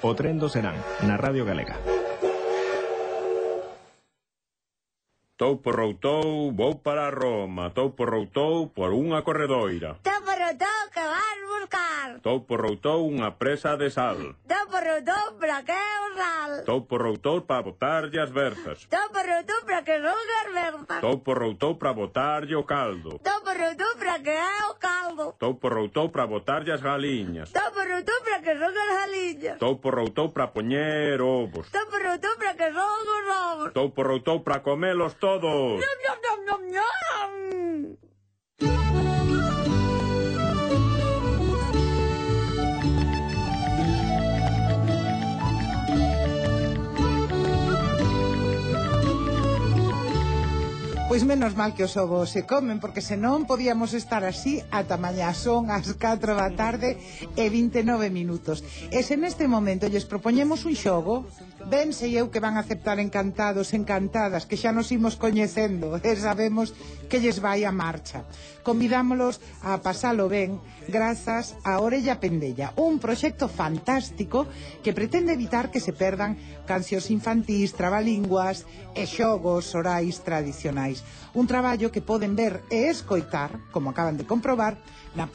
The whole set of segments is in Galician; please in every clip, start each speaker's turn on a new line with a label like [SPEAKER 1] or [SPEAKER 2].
[SPEAKER 1] O tren do Serán, na Radio Galega.
[SPEAKER 2] Tou por routou, vou para Roma. Tou por routou por unha corredoira.
[SPEAKER 3] Tou por routou, que vas buscar?
[SPEAKER 2] Tou por routou unha presa de sal.
[SPEAKER 3] Tou por routou, para que é o sal?
[SPEAKER 2] Tou por routou para botarlle as verzas.
[SPEAKER 3] Tou por routou, para que son as verzas?
[SPEAKER 2] Tou por routou para botarlle o caldo.
[SPEAKER 3] Tou por routou, para que é o caldo?
[SPEAKER 2] Tou por routou para botarlle as galiñas.
[SPEAKER 3] Tou por routou, para que son as galiñas?
[SPEAKER 2] Tou por routou para poñer ovos.
[SPEAKER 3] Tou por routou, para que son os ovos?
[SPEAKER 2] Tou por routou para comelos todos.
[SPEAKER 3] Nom, nom, nom, nom, nom.
[SPEAKER 4] Pois menos mal que os ovos se comen, porque senón podíamos estar así ata mañá. Son as 4 da tarde e 29 minutos. E se neste momento lles propoñemos un xogo, ben sei eu que van a aceptar encantados, encantadas, que xa nos imos coñecendo e sabemos que lles vai a marcha. Convidámolos a pasalo ben grazas a Orella Pendella, un proxecto fantástico que pretende evitar que se perdan cancións infantís, trabalinguas e xogos orais tradicionais. Un traballo que poden ver e escoitar, como acaban de comprobar, na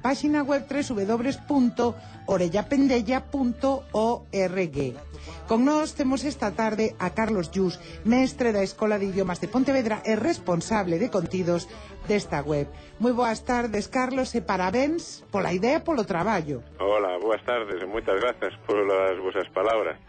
[SPEAKER 4] páxina web www.orellapendella.org. Con nós temos esta tarde a Carlos Llús, mestre da Escola de Idiomas de Pontevedra e responsable de contidos desta web. Moi boas tardes, Carlos, e parabéns pola idea e polo traballo.
[SPEAKER 5] Hola, boas tardes e moitas grazas polas vosas palabras.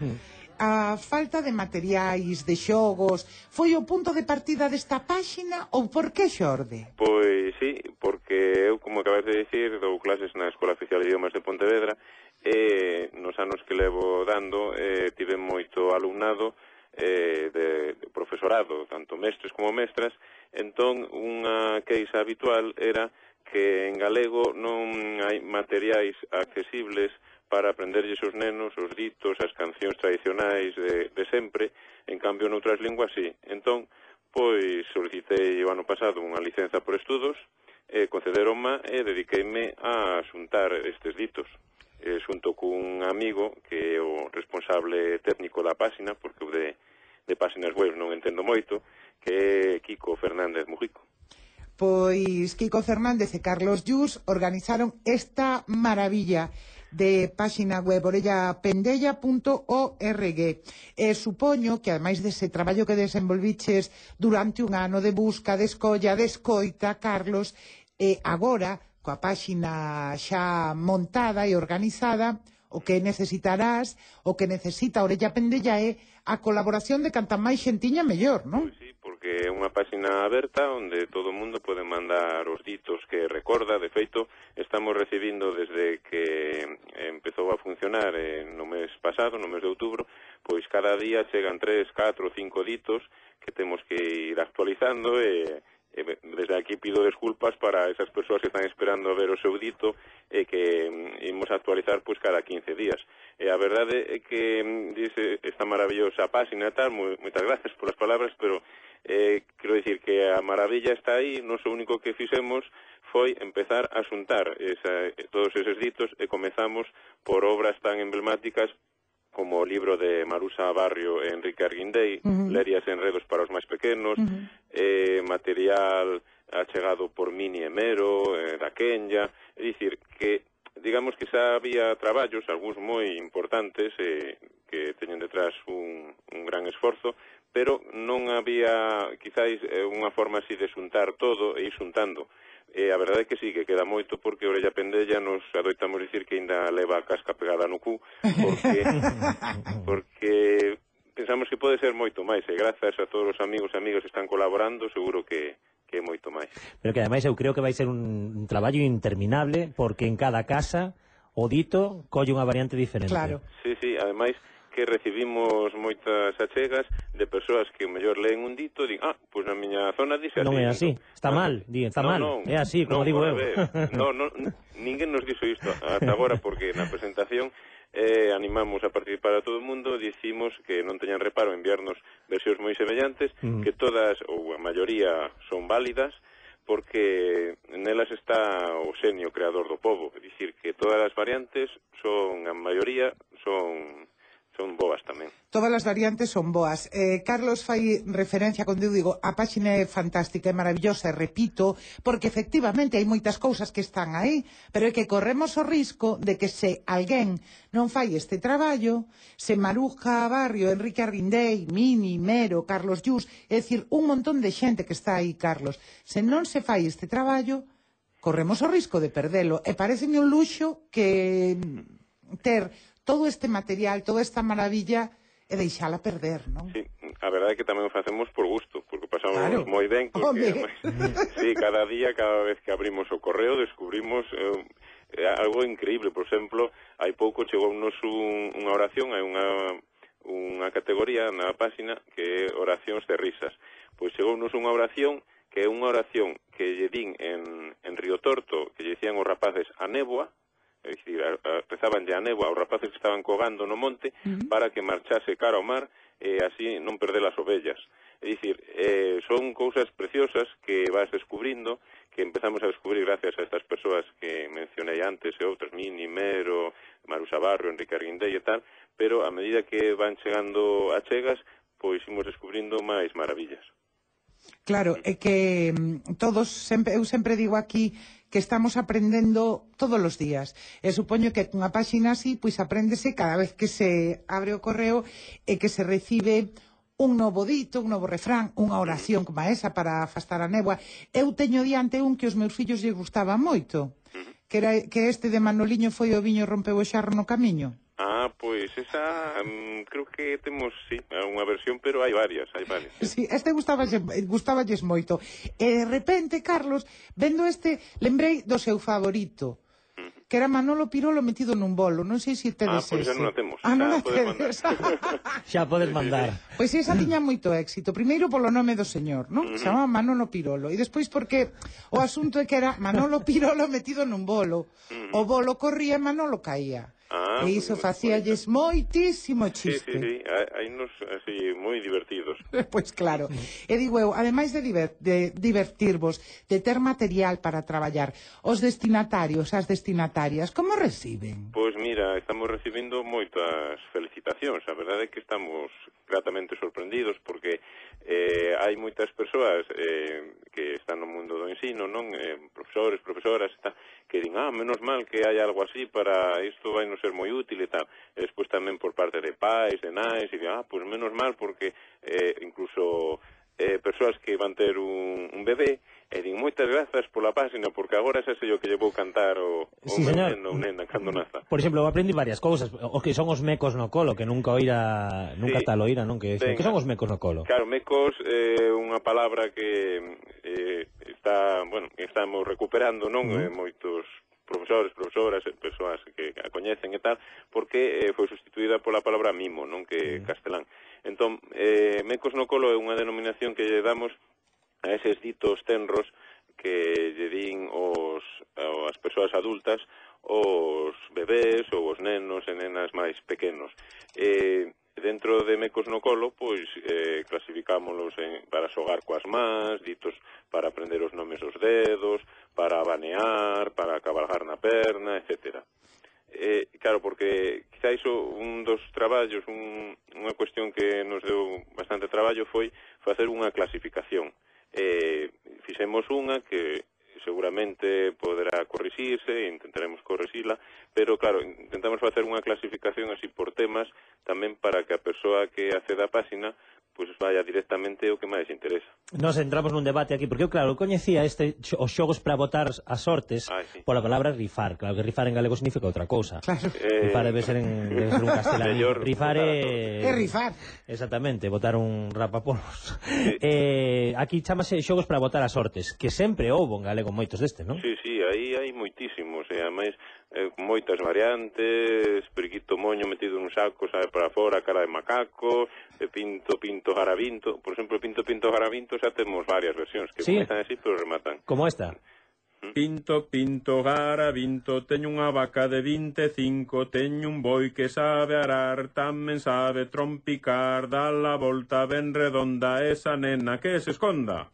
[SPEAKER 4] A falta de materiais, de xogos, foi o punto de partida desta páxina ou por que xorde?
[SPEAKER 5] Pois sí, porque eu, como acabas de dicir, dou clases na Escola Oficial de Idiomas de Pontevedra e nos anos que levo dando tive moito alumnado de profesorado, tanto mestres como mestras. Entón, unha queixa habitual era que en galego non hai materiais accesibles para aprenderlles os nenos os ditos, as cancións tradicionais de sempre. En cambio, noutras linguas, sí. Entón, pois, solicitei o ano pasado unha licenza por estudos, concederonma e dediqueime a xuntar estes ditos. Xunto cun amigo que é o responsable técnico da páxina, porque eu de páxinas web non entendo moito, que é Kiko Fernández Mujico.
[SPEAKER 4] Pois Kiko Fernández e Carlos Llús organizaron esta maravilla de páxina web orellapendella.org. Supoño que, ademais dese traballo que desenvolviches durante un ano de busca, de escolla, de escoita, Carlos, agora, coa páxina xa montada e organizada, o que necesitarás, o que necesita Orella Pendella é a colaboración de canta máis xentiña mellor, non?
[SPEAKER 5] Pois sí, porque é unha páxina aberta onde todo o mundo pode mandar os ditos que recorda. De feito, estamos recibindo desde que empezou a funcionar no mes pasado, no mes de outubro, pois cada día chegan 3, 4, 5 ditos que temos que ir actualizando e desde aquí pido desculpas para esas persoas que están esperando a ver o seu dito e que imos actualizar pois cada 15 días. E a verdade é que dice esta maravillosa páxina e tal, moitas gracias polas palabras, pero quero dicir que a maravilla está aí. Nos o único que fixemos foi empezar a xuntar todos eses ditos e comezamos por obras tan emblemáticas como o libro de Marusa Barrio e Enrique Arguindei, Lerias e enredos para os máis pequenos, material achegado por Mini Emero, da Kenya. É dicir, que digamos que xa había traballos, algúns moi importantes, que teñen detrás un gran esforzo, pero non había, quizáis, unha forma así de xuntar todo e ir xuntando. A verdade é que sí, que queda moito, porque Orella Pendella nos adoitamos dicir que ainda leva a casca pegada no cu, porque pensamos que pode ser moito máis, e grazas a todos os amigos e amigas que están colaborando, seguro que é moito máis.
[SPEAKER 6] Pero que ademais eu creo que vai ser un traballo interminable, porque en cada casa o dito colle unha variante diferente.
[SPEAKER 4] Claro.
[SPEAKER 5] Sí, sí, ademais que recibimos moitas achegas de persoas que mellor leen un dito e din, pois na miña zona dixe así.
[SPEAKER 6] Non é así, está mal, está mal, é así, como digo eu.
[SPEAKER 5] Ninguén nos dixo isto ata agora, porque na presentación animamos a participar a todo o mundo, dicimos que non teñan reparo en enviarnos versións moi semellantes, que todas, ou a maioría, son válidas, porque nelas está o xenio creador do pobo, é dicir que todas as variantes son, a maioría, son boas tamén.
[SPEAKER 4] Todas as variantes son boas. Carlos fai referencia, cando eu digo, a páxina é fantástica, é maravillosa, e repito, porque efectivamente hai moitas cousas que están aí, pero é que corremos o risco de que se alguén non fai este traballo, se Maruja Barrio, Enrique Arrindei, Mini, Mero, Carlos Llús, é dicir, un montón de xente que está aí, Carlos, se non se fai este traballo, corremos o risco de perdelo, e pareceme un luxo que ter todo este material, toda esta maravilla, e deixala perder, non?
[SPEAKER 5] Sí, a verdade é que tamén o facemos por gusto, porque pasamos
[SPEAKER 4] Claro.
[SPEAKER 5] moi ben, porque sí, cada día, cada vez que abrimos o correo, descubrimos algo increíble. Por exemplo, hai pouco chegounos unha oración, hai unha categoría na páxina que é oracións de risas. Pois chegounos unha oración que é unha oración que lle din en Río Torto, que lle dicían os rapaces a néboa, é dicir, rezabanlle a néboa aos rapaces que estaban cogando no monte para que marchase cara ao mar e así non perder as ovellas. É dicir, son cousas preciosas que vas descubrindo, que empezamos a descubrir gracias a estas persoas que mencionei antes e outras, Mini, Mero, Maruxa Barrio, Enrique Arrindei e tal, pero a medida que van chegando a chegas, pois imos descubrindo máis maravillas.
[SPEAKER 4] Claro, é que eu sempre digo aquí que estamos aprendendo todos os días. E supoño que unha páxina así, pois apréndese cada vez que se abre o correo e que se recibe un novo dito, un novo refrán, unha oración como esa para afastar a néboa. Eu teño diante un que os meus fillos lle gustaba moito, que este de Manoliño foi o viño rompeu o xarro no camiño.
[SPEAKER 5] Pois esa, creo que temos, sí, unha versión, pero hai varias.
[SPEAKER 4] Sí, este gustáballes moito. E de repente, Carlos, vendo este, lembrei do seu favorito, que era Manolo Pirolo metido nun bolo. Non sei se tedes
[SPEAKER 5] pois
[SPEAKER 4] ese.
[SPEAKER 5] xa non a temos.
[SPEAKER 4] Non a
[SPEAKER 5] Podes
[SPEAKER 4] tedes.
[SPEAKER 6] Xa podes mandar.
[SPEAKER 4] Pois esa tiña moito éxito. Primeiro polo nome do señor, non? Se chamaba Manolo Pirolo. E despois porque o asunto é que era Manolo Pirolo metido nun bolo. O bolo corría e Manolo caía. E iso facíalles moitísimo chiste.
[SPEAKER 5] Sí, hai nos así moi divertidos.
[SPEAKER 4] Pois claro. E digo eu, ademais de divertirvos, de ter material para traballar, os destinatarios, as destinatarias, como reciben?
[SPEAKER 5] Pois mira, estamos recibindo moitas felicitacións. A verdade é que estamos gratamente sorprendidos porque hai moitas persoas que están no mundo do ensino, non? Profesores, profesoras, que din, menos mal que hai algo así para isto vai nos ser moi útil e tal. E despois tamén por parte de pais, de nais, e din, pois menos mal porque incluso persoas que van ter un bebé e din moitas grazas pola páxina porque agora xa sei o que lle vou cantar o meu neno ou nena cando naza.
[SPEAKER 6] Por exemplo, eu aprendi varias cousas, o que son os mecos no colo, que nunca tal oíra, non? Que son os mecos no colo?
[SPEAKER 5] Claro, mecos é unha palabra que estamos recuperando, non? Moitos profesores, profesoras, persoas que a coñecen e tal, porque foi sustituída pola palabra mimo, non? Que é castelán. Entón, mecos no colo é unha denominación que lle damos a eses ditos tenros que lle din as persoas adultas, os bebés ou os nenos e nenas máis pequenos. Dentro de mecos no colo, pois, clasificámonos para xogar coas mans, ditos para aprender os nomes dos dedos, para banear, para cabalgar na perna, etcétera. Claro, porque quizá iso un dos traballos, unha cuestión que nos deu bastante traballo foi facer unha clasificación. Fixemos unha que seguramente poderá corrixirse e intentaremos corrixila, pero claro, intentamos facer unha clasificación así por temas tamén para que a persoa que acceda á páxina pois vaya directamente o que máis interesa.
[SPEAKER 6] Nos entramos nun debate aquí, porque eu, claro, coñecía os xogos para botar as sortes pola palabra rifar. Claro que rifar en galego significa outra cousa.
[SPEAKER 4] Claro.
[SPEAKER 6] Rifar debe ser un castelán. Rifar é...
[SPEAKER 4] rifar.
[SPEAKER 6] Exactamente, botar un rapapolvos. Aquí chamase xogos para botar as sortes, que sempre houbo en galego moitos destes, non?
[SPEAKER 5] Sí, aí hai moitísimos, e ademais moitas variantes, periquito moño metido nun saco, sabe para fora, cara de macaco, pinto garabinto. Por exemplo, pinto garabinto xa temos varias versións que comezan así, pero rematan.
[SPEAKER 6] Como esta?
[SPEAKER 2] Pinto, garabinto, teño unha vaca de 25, teño un boi que sabe arar, tamén sabe trompicar, dá la volta ben redonda, esa nena que se esconda.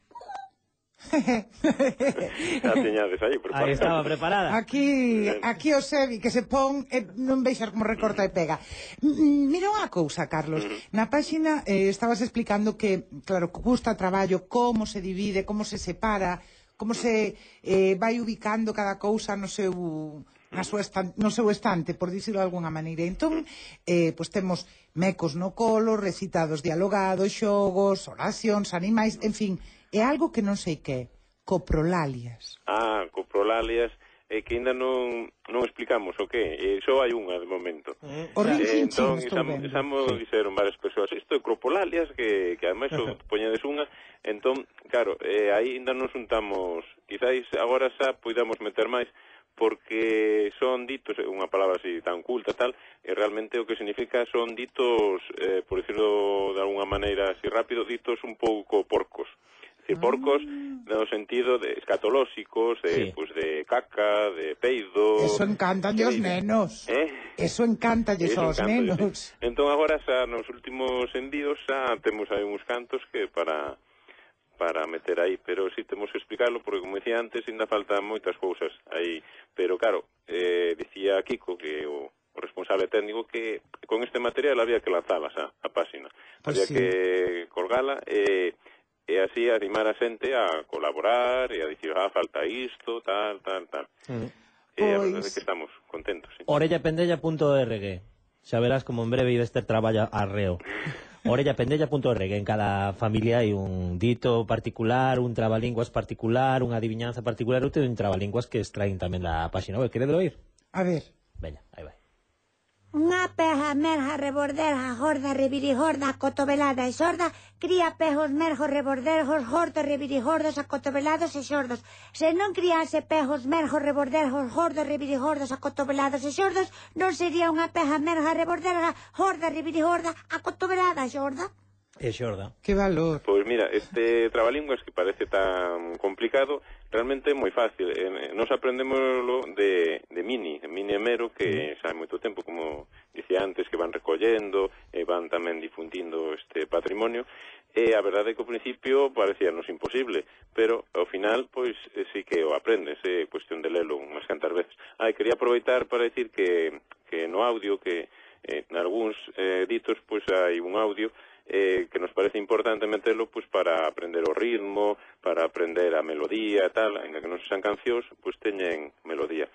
[SPEAKER 5] Xa tiñades aí preparada.
[SPEAKER 6] Aí estaba preparada.
[SPEAKER 4] Aquí o Sebi, que se pon, non veixas como recorta e pega. Mira unha cousa, Carlos. Na páxina estabas explicando que, claro, custa traballo, como se divide, como se separa, como se vai ubicando cada cousa no seu estante, por dicirlo de alguna maneira. Entón, pois temos mecos no colo, recitados dialogados, xogos, oracións, animais, en fin, é algo que non sei que, coprolalias.
[SPEAKER 5] Coprolalias, que ainda non explicamos o que, só hai unha de momento.
[SPEAKER 4] O rinchinchin estou
[SPEAKER 5] vendo.
[SPEAKER 4] Entón,
[SPEAKER 5] dixeron varias persoas, isto é coprolalias, que ademais poñedes unha, entón, claro, aí ainda non xuntamos, quizáis agora xa poidamos meter máis, porque son ditos, unha palabra así tan culta tal, e realmente o que significa son ditos, por decirlo de alguna maneira así rápido, ditos un pouco porcos. Porcos no sentido de escatolóxicos, pues de caca, de peido.
[SPEAKER 4] Eso encantalle aos nenos. Eso encantalle aos nenos.
[SPEAKER 5] Entón agora xa nos últimos envíos xa temos aí uns cantos que para meter aí, pero si temos que explicarlo porque como decía antes ainda faltan moitas cousas aí, pero claro, dicía Kiko que o responsable técnico que con este material había que lanzala xa a páxina, había que colgala e así animar a xente a colaborar e a dicir, falta isto, tal. E a verdade é que estamos contentos. Sí.
[SPEAKER 6] Orellapendella.org. Xa verás como en breve ides ter traballo arreo. Orellapendella.org. En cada familia hai un dito particular, un trabalinguas particular, unha adivinanza particular, ou un trabalinguas que extraen tamén da páxina web. Queredelo oír?
[SPEAKER 4] A ver.
[SPEAKER 6] Veña, aí vai.
[SPEAKER 3] Unha peja merja reborderja, jorda revirijorda, cotovelada e sorda, cría pejos merjos reborderjos, gordos revirijordos, acotovelados e xordos. Se non criase pejos merjos reborderjos, gordos revirijordos, acotovelados e xordos, non sería unha peja merja reborderja, jorda revirijorda, acotovelada e xorda.
[SPEAKER 6] E xorda.
[SPEAKER 4] Que valor.
[SPEAKER 5] Pois mira, este trabalinguas que parece tan complicado, realmente é moi fácil. Nos aprendémoslo de Mini e Mero, que xa hai moito tempo, como dicía antes, que van recollendo e van tamén difundindo este patrimonio. E a verdade é que ao principio parecíanos imposible, pero ao final, pois, sí que o aprendes, é cuestión de lelo unhas cantas veces. Quería aproveitar para decir que no audio, que en algúns ditos, pois hai un audio que nos parece importante meterlo pues para aprender o ritmo, para aprender a melodía e tal, ainda que non sean cancións, pues teñen melodía.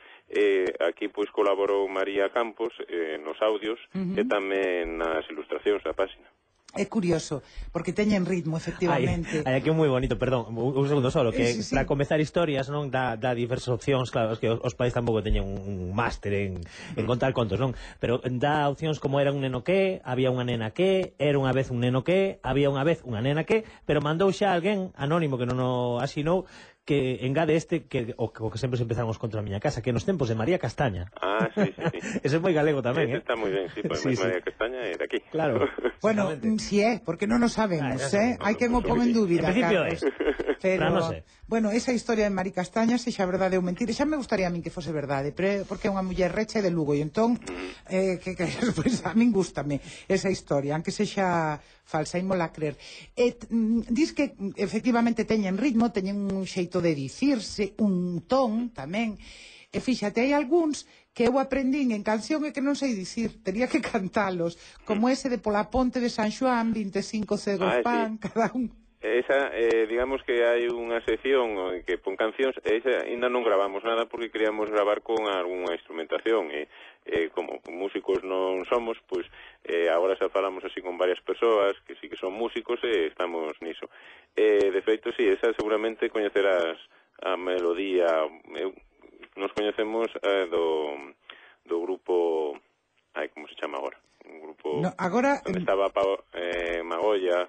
[SPEAKER 5] Aquí pues colaborou María Campos nos audios e tamén nas ilustracións da páxina.
[SPEAKER 4] É curioso, porque teñen ritmo, efectivamente.
[SPEAKER 6] Hai aquí un moi bonito, perdón, un segundo solo, que para comezar historias, non, dá diversas opcións, claro, es que os pais tampouco teñen un máster en contar contos, non? Pero dá opcións como era un neno que, había unha nena que, era unha vez un neno que, había unha vez unha nena que, pero mandou xa alguén anónimo que non o asinou, que engade que o que sempre se empezaron os contos na miña casa, que nos tempos de María Castaña.
[SPEAKER 5] Sí.
[SPEAKER 6] Ese é moi galego tamén,
[SPEAKER 5] Está moi ben, sí, pues María Castaña é de aquí.
[SPEAKER 6] Claro.
[SPEAKER 4] Bueno, si é, porque non o sabemos, hai quen o pon en dúbida,
[SPEAKER 6] Carlos.
[SPEAKER 4] Pero,
[SPEAKER 6] no sé.
[SPEAKER 4] Bueno, esa historia de María Castaña, se xa verdade ou mentira, xa me gustaría a min que fose verdade, porque é unha muller recha de Lugo, e entón, pues, a min gústame esa historia, aunque sexa falsa, ímola creer. Dis que efectivamente teñen ritmo, teñen un xeito de dicirse, un ton tamén, e fíxate, hai algúns que eu aprendín en canción e que non sei dicir, tería que cantalos, como ese de Pola Ponte de San Xoán, 25 cegos pan, cada un.
[SPEAKER 5] Esa, digamos que hai unha sección que pon cancións, esa ainda non gravamos nada porque queríamos gravar con algunha instrumentación e como músicos non somos, pois agora xa falamos así con varias persoas que sí que son músicos e estamos niso. De feito, sí, esa seguramente coñecerás a melodía. Nos coñecemos do grupo, como se chama agora? Un grupo
[SPEAKER 4] agora
[SPEAKER 5] onde estaba Magolla.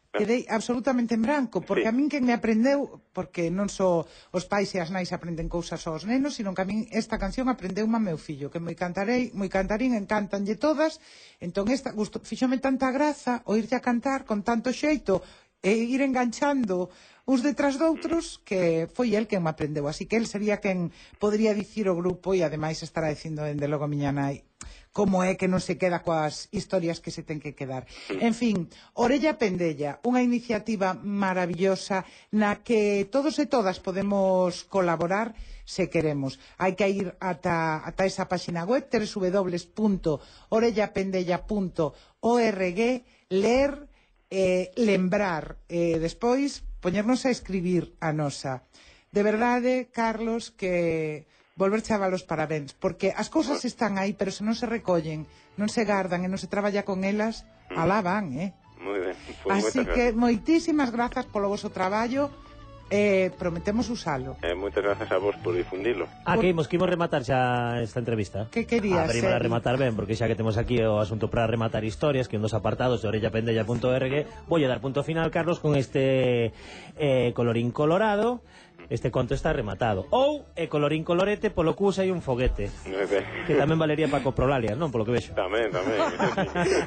[SPEAKER 4] Quedei absolutamente en branco, porque a min quen me aprendeu, porque non só os pais e as nais aprenden cousas aos nenos, sino que a min esta canción aprendeuma meu fillo, que moi cantarín, encantanlle todas, entón esta fíxome tanta graza oírlle a cantar con tanto xeito e ir enganchando uns detrás doutros, que foi el quen me aprendeu, así que el sería quen podría dicir o grupo e ademais estará dicindo dende logo a miña nai. como é que non se queda coas historias que se ten que quedar. En fin, Orella Pendella, unha iniciativa maravillosa na que todos e todas podemos colaborar se queremos. Hai que ir ata esa página web www.orellapendella.org, ler, lembrar, despois poñernos a escribir a nosa. De verdade, Carlos, que volver chaval os parabéns, porque as cousas están aí, pero se non se recollen, non se gardan e non se traballa con elas, alá van,
[SPEAKER 5] Moi ben. Pues
[SPEAKER 4] así que moitísimas grazas polo voso traballo, prometemos usalo.
[SPEAKER 5] Moitas grazas a vos por difundilo.
[SPEAKER 6] Que imos rematar xa esta entrevista.
[SPEAKER 4] Que querías,
[SPEAKER 6] Para rematar ben, porque xa que temos aquí o asunto para rematar historias, que un dos apartados de orellapendella.org, vou dar punto final, Carlos, con este colorín colorado. Este conto está rematado. Ou colorín colorete, polo que usa hai un foguete. Que tamén valería para coprolalia, non? Polo que vexo.
[SPEAKER 5] Tamén.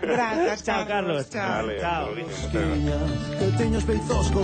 [SPEAKER 4] Gracias,
[SPEAKER 6] Chao, Carlos.
[SPEAKER 4] Chao.
[SPEAKER 5] Vale,
[SPEAKER 6] Chao.
[SPEAKER 5] Muchas gracias.